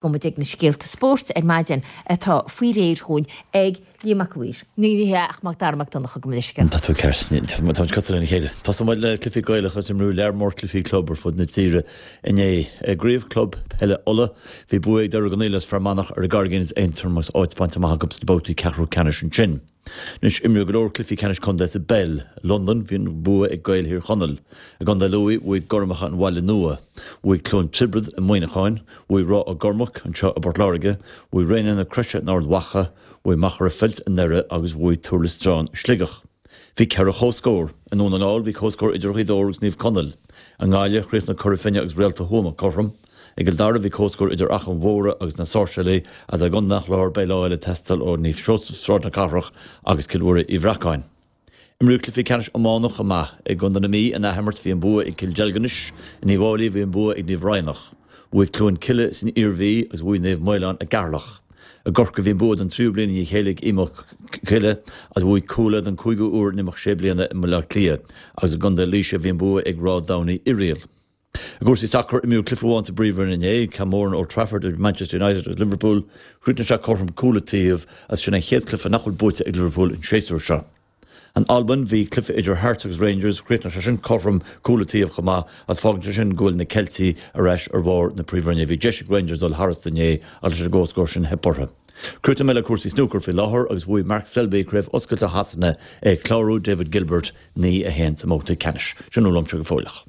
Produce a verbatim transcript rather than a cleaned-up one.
Go muid ag na scéalta spóirt ar maidin atá faoi réir chugainn ag Liam Mac Uidhir. Ní ní hea ach Mac Dara Mac Donncha gabh mo leithscéal. Tá tú ceart. Tá cosúil lena chéile. Tosóidh muid le cluichí Gaelacha agus imríodh lear mór cluichí club ar fud na tíre inné. I gCraobh Club Peile Uladh, bhí bua ag Doire Dhonnaíl as Fear Manach ar an gCarraigín as Aontroim agus áit bainte amach acu sna babhtaí ceathrú ceannais ansin. Anois, imríodh go leor cluichí ceannais contae sa bpeil. I Londain, bhí an bua ag Gaeil Thír Chonaill. I gContae Lú, bhuaigh Gormacha an Bhaile Nua. Bhuaigh Cluain Tiobraid i Muineachán. Bhuaigh Ráth Ó gCormaic anseo i bPort Láirge. Bhuaigh Raonaithe na Croise in Ard Mhacha. Bhuaigh Machaire Feilt i nDoire agus bhuaigh Tuar Loistreáin i Sligeach. Bhí ceithre chomhscór. I nDún na nGall, bhí comhscór idir Ghaoth Dobhair agus Naomh Conaill. I nGaillimh, chríochnaigh Cora Finne agus Réalta Thuama cothrom. I gCill Dara bhí comhscór idir Achadh Mhórdha agus na Sáirséalaigh agus i gContae an Chláir beidh lá eile ag teastáil ó Naomh Seosamh Sráid na Cathrach agus Cill Mhuire Uí Bhreacáin. Imríodh cluichí ceannais iomána chomh maith. I gContae na Mí in athimirt bhí an bua ag Cill Deilginis, in Uíbh Fháilí bhí an bua ag Naomh Raghnach. Bhuaigh Cluain Cille san Iarmhí agus bhuaigh Naomh Maolán i gCeatharlach. I gCorcaigh bhí an bua don tríú bliain i ndiaidh a chéile ag Uíbh Coille agus bhuaigh Cuala don cúigiú huair in imeacht sé bliana i mBaile Átha Cliath agus i gContae Laoise bhí an bua ag Ráth Domhnaigh Oiriall. I gcúrsaí sacair, imríodh cluiche amháin sa bPríomhroinn inné, ceann mór in Old Trafford idir Manchester United agus Liverpool. Chríochnaigh sé cothrom cúl an taobh agus sin an chéad chluiche nach bhfuil buaite ag Liverpool an séasúr seo. In Albain, bhí cluiche idir Hearts agus Rangers, chríochnaigh sé sin cothrom cúl an taobh chomh maith agus fágann sé sin go bhfuil na Ceiltigh ar ais ar bharr na Príomhroinne. Bhí deis ag Rangers dul tharastu inné ach leis an gcomhscór sin theip orthu. Críochnóidh mé le cúrsaí snúcair faoi láthair agus bhuaigh Mark Selby Craobh Oscailte Shasana ag clárú David Gilbert naoi a haon sa mbabhta ceannais. Sin uaimse go fóilleach.